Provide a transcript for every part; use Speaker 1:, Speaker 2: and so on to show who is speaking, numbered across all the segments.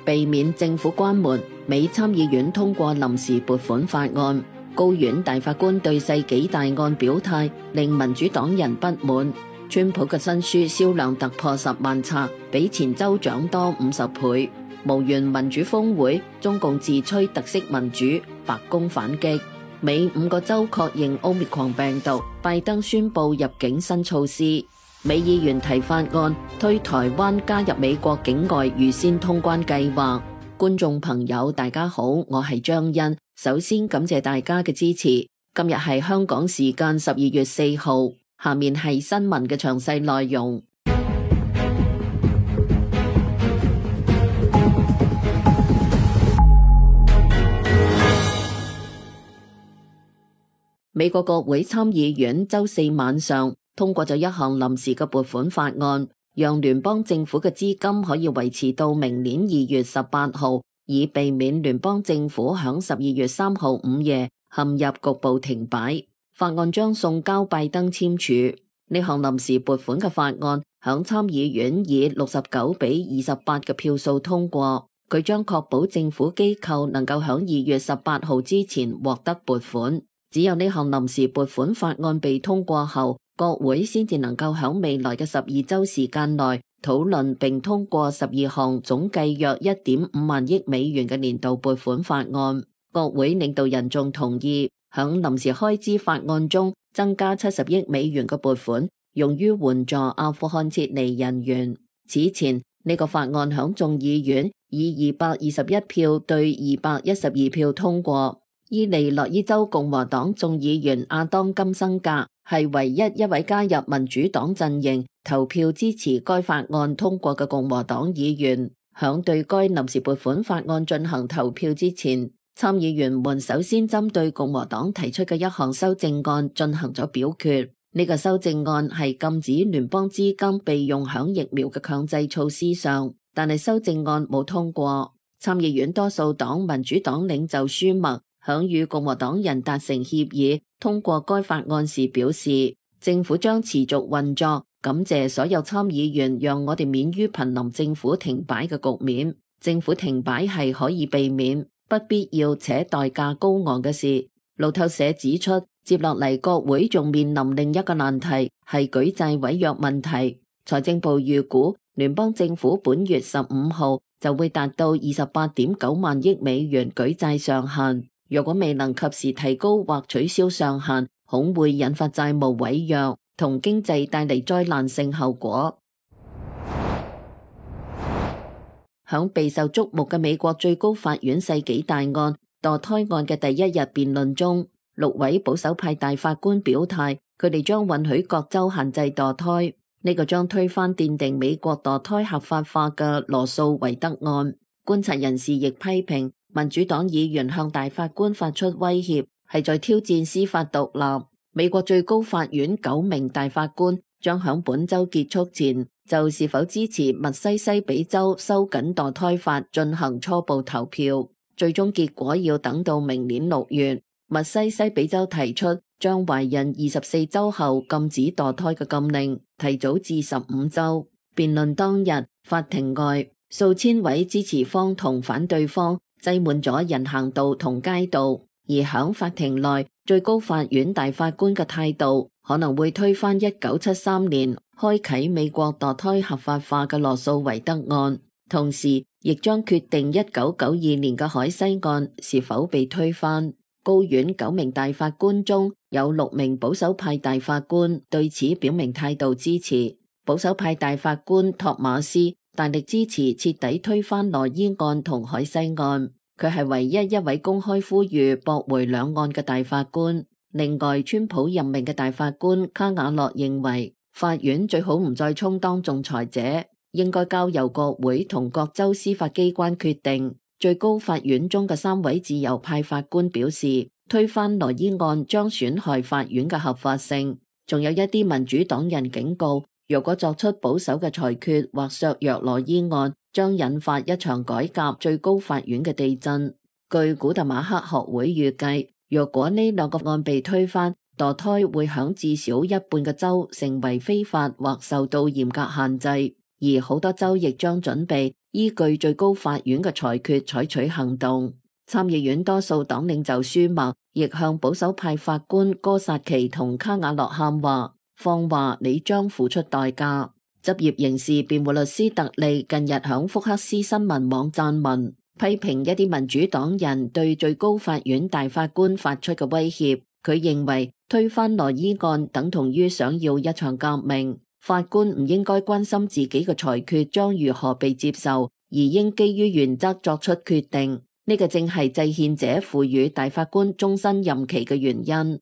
Speaker 1: 避免政府關門，美參議院通過臨時撥款法案。高院大法官對世紀大案表態，令民主黨人不滿。川普嘅新書銷量突破10萬冊，比前州長多50倍。無緣民主峰會，中共自吹特色民主，白宮反擊。美5個州確認 Omicron 病毒，拜登宣布入境新措施。美議員提法案，推台灣加入美國境外預先通關計劃。觀眾朋友大家好，我係張欣，首先感謝大家嘅支持。今日係香港時間12月4號，下面係新聞嘅詳細內容。美國國會參議院週4晚上通過咗一項臨時嘅撥款法案，讓聯邦政府嘅資金可以維持到明年2月18號，以避免聯邦政府響12月3號午夜陷入局部停擺。法案將送交拜登簽署。呢項臨時撥款嘅法案響參議院以69比28嘅票數通過，佢將確保政府機構能夠響2月18號之前獲得撥款。只有呢項臨時撥款法案被通過後，國會先至能夠響未來嘅12週時間內討論並通過12項總計約 1.5 萬億美元嘅年度撥款法案。國會領導人仲同意響臨時開支法案中增加70億美元嘅撥款，用於援助阿富汗撤離人員。此前呢個法案響眾議院以221票對212票通過。伊利諾伊州共和黨眾議員亞當金生格係唯一一位加入民主黨陣營投票支持該法案通過嘅共和黨議員。響對該臨時撥款法案進行投票之前，參議員們首先針對共和黨提出嘅一項修正案進行咗表決。呢個修正案係禁止聯邦資金被用響疫苗嘅強制措施上，但係修正案冇通過。參議院多數黨民主黨領袖舒默響與共和黨人達成協議通過該法案時表示，政府將持續運作，感謝所有參議員讓我哋免於瀕臨政府停擺嘅局面。政府停擺係可以避免，不必要且代價高昂嘅事。路透社指出，接落嚟國會仲面臨另一個難題，係舉債違約問題。財政部預估聯邦政府本月15號就會達到 28.9 萬億美元舉債上限。若果未能及時提高或取消上限，恐會引發債務違約，同經濟帶嚟災難性後果。響備受矚目嘅美國最高法院世紀大案墮胎案嘅第一日辯論中，6位保守派大法官表態，佢哋將允許各州限制墮胎。呢個將推翻奠定美國墮胎合法化嘅羅訴韋德案。觀察人士亦批評民主黨議員向大法官發出威脅，係在挑戰司法獨立。美國最高法院9名大法官將響本周結束前就是否支持密西西比州收緊墮胎法進行初步投票，最終結果要等到明年6月。密西西比州提出將懷孕24週後禁止墮胎嘅禁令提早至15週。辯論當日，法庭外數千位支持方同反對方擠滿咗人行道同街道，而響法庭內，最高法院大法官嘅態度可能會推翻1973年開啟美國墮胎合法化嘅羅訴韋德案，同時亦將決定1992年嘅海西案是否被推翻。高院9名大法官中有6名保守派大法官對此表明態度支持。保守派大法官托馬斯大力支持徹底推翻羅伊案同海西案，佢係唯一一位公開呼籲駁回兩案嘅大法官。另外，川普任命嘅大法官卡瓦諾認為，法院最好唔再充當仲裁者，應該交由國會同各州司法機關決定。最高法院中嘅3位自由派法官表示，推翻羅伊案將損害法院嘅合法性。仲有一啲民主黨人警告，如果作出保守嘅裁決或削弱羅伊案，將引發一場改革最高法院嘅地震。據古特馬克學會預計，若果呢2個案被推翻，墮胎會響至少一半嘅州成為非法或受到嚴格限制，而好多州亦將準備依據最高法院嘅裁決採取行動。參議院多數黨領袖舒默亦向保守派法官哥薩奇同卡瓦諾喊話，放話你將付出代價。執業刑事辯護律師特利近日響福克斯新聞網撰文，批評一啲民主黨人對最高法院大法官發出嘅威脅。佢認為推翻羅伊案等同於想要一場革命，法官唔應該關心自己嘅裁決將如何被接受，而應基於原則作出決定。呢個正係制憲者賦予大法官終身任期嘅原因。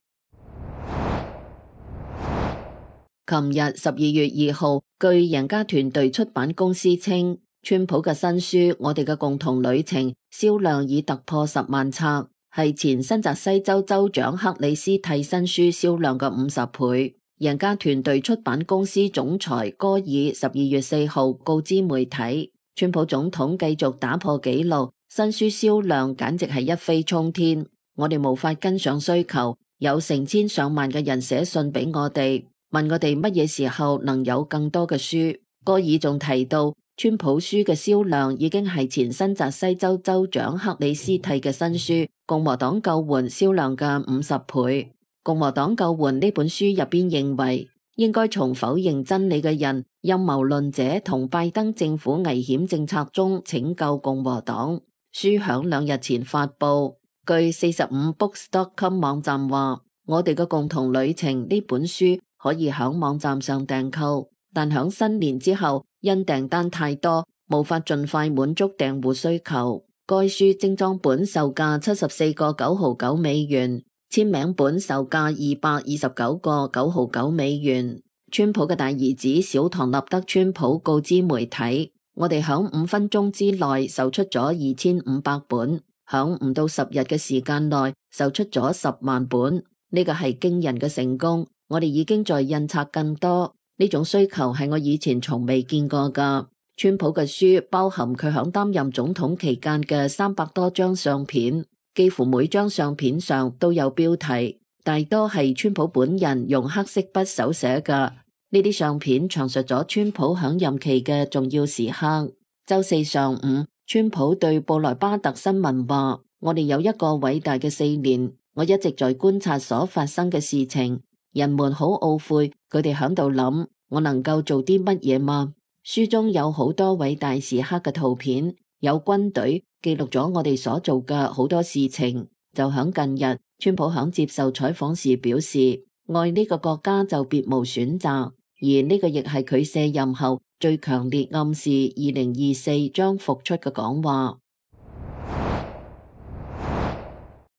Speaker 1: 琴日12月2號，據贏家團隊出版公司稱，川普嘅新書《我哋嘅共同旅程》銷量已突破10萬冊，係前新澤西州州長克里斯蒂新書銷量嘅50倍。贏家團隊出版公司總裁戈爾12月4號告知媒體，川普總統繼續打破紀錄，新書銷量簡直係一飛沖天。我哋無法跟上需求，有成千上萬嘅人寫信俾我哋，問我哋乜嘢時候能有更多嘅書。戈爾仲提到，川普書嘅銷量已經係前新澤西州州長克里斯蒂嘅新書《共和黨救援》銷量嘅50倍。共和黨救援呢本書入邊認為，應該從否認真理嘅人、陰謀論者同拜登政府危險政策中拯救共和黨。書響2日前發佈。據45books.com 網站話，我哋嘅共同旅程呢本書可以響網站上訂購，但響新年之後因訂單太多，無法盡快滿足訂戶需求。該書精裝本售價74個9毫9美元，簽名本售價229個9毫9美元。川普嘅大兒子小唐納德川普告知媒體，我哋響5分鐘之內售出咗2500本，響唔到10日嘅時間內售出咗10萬本，呢個係驚人嘅成功。我哋已經在印刷更多，呢種需求係我以前從未見過㗎。川普嘅書包含佢響擔任總統期間嘅300多張相片，幾乎每張相片上都有標題，大多係川普本人用黑色筆手寫㗎。呢啲相片詳述咗川普響任期嘅重要時刻。周四上午，川普對布萊巴特新聞話，我哋有一個偉大嘅4年，我一直在觀察所發生嘅事情，人們好懊悔，佢哋響度諗，我能夠做啲乜嘢嗎？書中有好多偉大時刻嘅圖片，有軍隊記錄咗我哋所做嘅好多事情。就響近日，川普響接受採訪時表示，愛呢個國家就別無選擇。而呢個亦係佢卸任後最強烈暗示2024將復出嘅講話。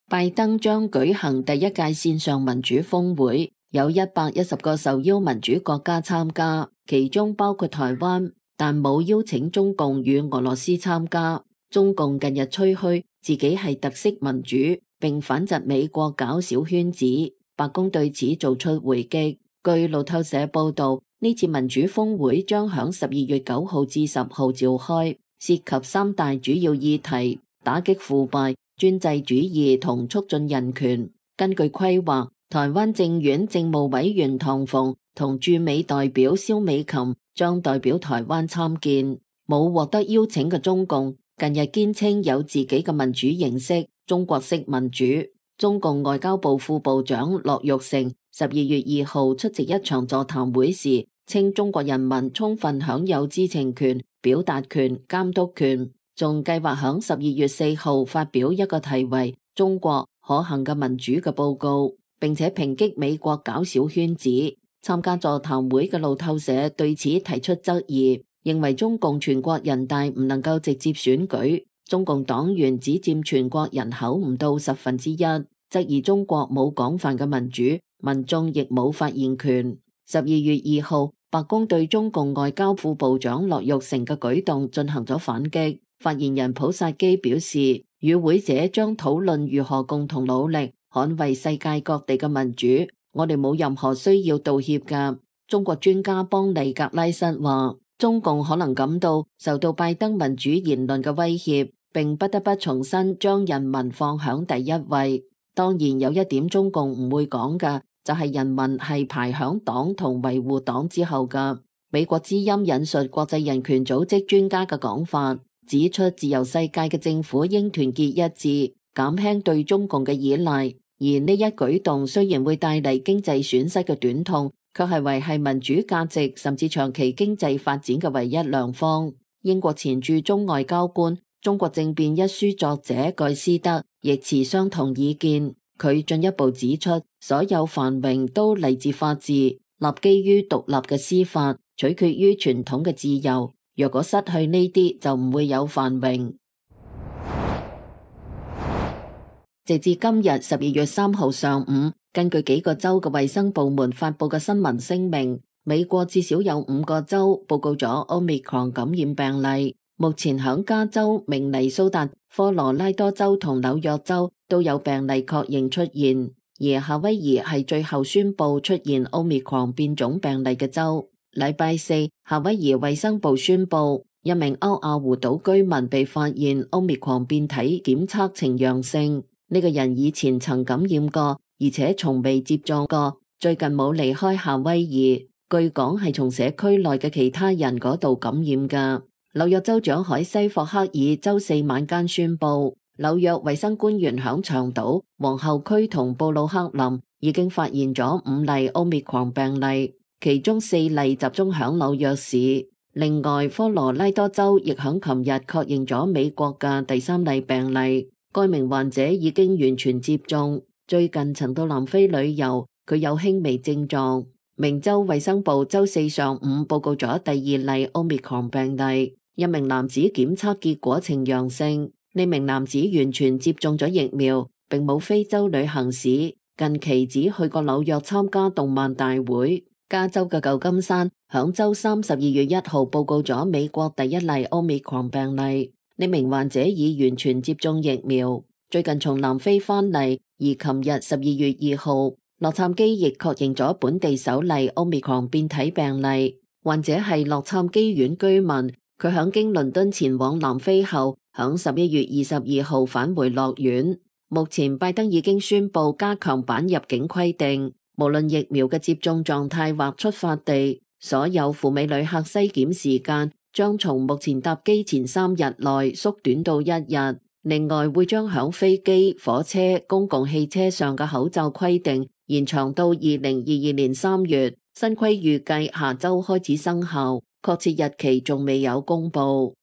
Speaker 1: 拜登將舉行第一屆線上民主峰會，有110個受邀民主國家參加，其中包括台灣，但冇邀請中共與俄羅斯參加。中共近日吹噓自己係特色民主，並反窒美國搞小圈子。白宮對此做出回擊。據路透社報道，呢次民主峰會將響12月9號至10號召開，涉及3大主要議題：打擊腐敗、專制主義同促進人權。根據規劃，台灣政院政務委員唐鳳同駐美代表蕭美琴將代表台灣參見。冇獲得邀請嘅中共近日堅稱有自己嘅民主形式，中國式民主。中共外交部副部長駱玉成12月2號出席一場座談會時，稱中國人民充分享有知情權、表達權、監督權，仲計劃響12月4號發表一個題為《中國可行嘅民主》嘅報告，並且抨擊美國搞小圈子。參加座談會嘅路透社對此提出質疑，認為中共全國人大唔能夠直接選舉，中共黨員只佔全國人口唔到1/10，質疑中國冇廣泛嘅民主，民眾亦冇發言權。12月2號，白宮對中共外交副部長駱玉成嘅舉動進行咗反擊。發言人普薩基表示，與會者將討論如何共同努力捍衛世界各地嘅民主，我哋冇任何需要道歉㗎。中國專家邦尼格拉什話，中共可能感到受到拜登民主言論嘅威脅，並不得不重新將人民放響第一位。當然有一點中共唔會講嘅，就係人民係排響黨同維護黨之後嘅。美國之音引述國際人權組織專家嘅講法，指出自由世界嘅政府應團結一致，減輕對中共嘅依賴。而呢一舉動雖然會帶嚟經濟損失嘅短痛，卻係維繫民主價值甚至長期經濟發展嘅唯一良方。英國前駐中外交官、中國政變一書作者蓋斯德亦持相同意見。佢進一步指出，所有繁榮都嚟自法治，立基於獨立嘅司法，取決於傳統嘅自由。若果失去呢啲，就唔會有繁榮。直至今日12月3號上午，根據幾個州嘅衛生部門發佈嘅新聞聲明，美國至少有5個州報告咗 Omicron 感染病例。目前響加州、明尼蘇達、科羅拉多州同紐約州都有病例確認出現，而夏威夷係最後宣布出現 Omicron 變種病例嘅州。禮拜四，夏威夷衛生部宣布，一名歐亞胡島居民被發現 Omicron 變體檢測呈陽性。呢個人以前曾感染過，而且從未接種過，最近冇離開夏威夷，據講係從社區內嘅其他人嗰度感染㗎。紐約州長海西霍克爾周四晚間宣布，紐約衛生官員響長島、皇后區同布魯克林已經發現咗5例 Omicron 病例，其中4例集中響紐約市。另外，科羅拉多州亦響琴日確認咗美國嘅第3例病例。該名患者已經完全接種，最近曾到南非旅遊，佢有輕微症狀。明州衛生部周四上午報告咗第2例 Omicron 病例，一名男子檢測結果呈陽性。呢名男子完全接種咗疫苗，並冇非洲旅行史，近期只去過紐約參加動漫大會。加州嘅舊金山響周3 12月1號報告咗美國第1例 Omicron 病例。呢名患者已完全接種疫苗，最近從南非返嚟，而琴日12月2號，洛杉磯亦確認咗本地首例 Omicron 變體病例，患者係洛杉磯縣居民，佢響經倫敦前往南非後，響11月22號返回樂園。目前拜登已經宣布加強版入境規定，無論疫苗嘅接種狀態或出發地，所有赴美旅客篩檢時間將從目前搭機前3日內縮短到1日。另外，會將響飛機、火車、公共汽車上嘅口罩規定延長到2022年3月。新規預計下周開始生效，確切日期仲未有公布。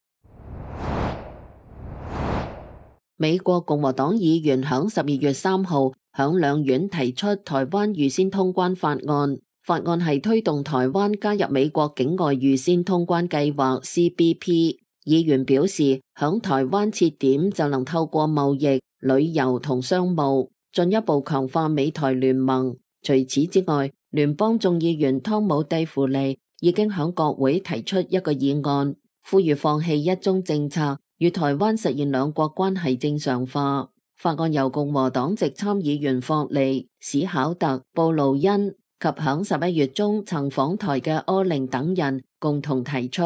Speaker 1: 美國共和黨議員響12月3號響兩院提出台灣預先通關法案。法案係推動台灣加入美國境外預先通關計劃 CBP。議員表示，響台灣設點就能透過貿易、旅遊同商務，進一步強化美台聯盟。除此之外，聯邦眾議員湯姆蒂芙利已經響國會提出一個議案，呼籲放棄一中政策，與台灣實現兩國關係正常化。法案由共和黨籍參議員霍利、史考特、布魯恩及響11月中曾訪台嘅柯寧等人共同提出，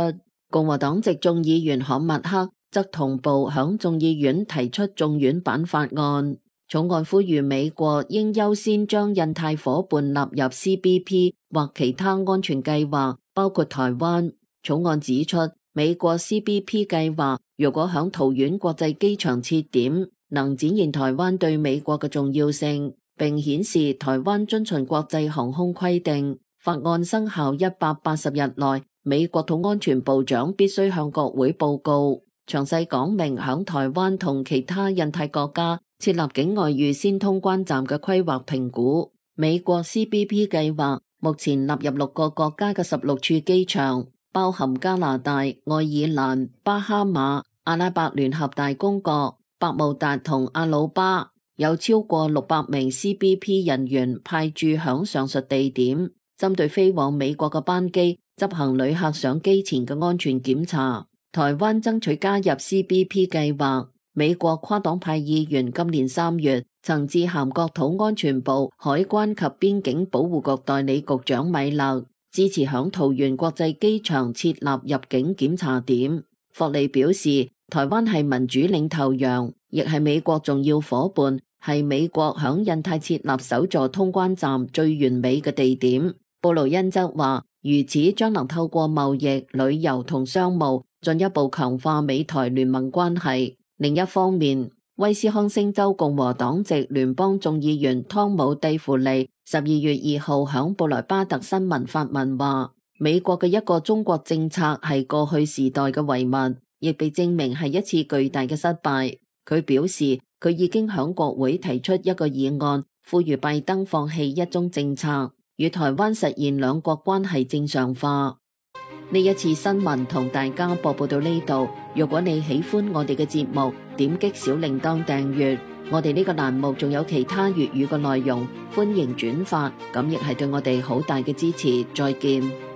Speaker 1: 共和黨籍眾議員罕默克則同步響眾議院提出眾院版法案。草案呼籲美國應優先將印太夥伴納入 CBP 或其他安全計劃，包括台灣。草案指出，美國 CBP 計劃如果響桃園國際機場設點，能展現台灣對美國嘅重要性，並顯示台灣遵循國際航空規定。法案生效180日內，美國土安全部長必須向國會報告，詳細講明響台灣同其他印太國家設立境外預先通關站嘅規劃評估。美國 CBP 計劃目前納入6個國家嘅16處機場，包含加拿大、愛爾蘭、巴哈馬、阿拉伯聯合大公國、百慕達同阿魯巴，有超過600名 CBP 人員派駐響上述地點，針對飛往美國嘅班機執行旅客上機前嘅安全檢查。台灣爭取加入 CBP 計劃，美國跨黨派議員今年3月曾致函國土安全部海關及邊境保護局代理局長米勒，支持響桃園國際機場設立入境檢查點。霍利表示，台灣係民主領頭羊，亦係美國重要夥伴，係美國響印太設立首座通關站最完美嘅地點。布魯恩則話，如此將能透過貿易、旅遊同商務進一步強化美台聯盟關係。另一方面，威斯康星州共和黨籍聯邦眾議員湯姆蒂芙利12月2號響布萊巴特新聞發文話，美國嘅一個中國政策係過去時代嘅遺物，亦被證明係一次巨大嘅失敗。佢表示，佢已經響國會提出一個議案，呼籲拜登放棄一中政策，與台灣實現兩國關係正常化。呢一次新聞同大家播報到呢度。如果你喜歡我哋嘅節目，點擊小鈴鐺訂閱。我哋呢個欄目仲有其他粵語嘅內容，歡迎轉發，咁亦係對我哋好大嘅支持。再見。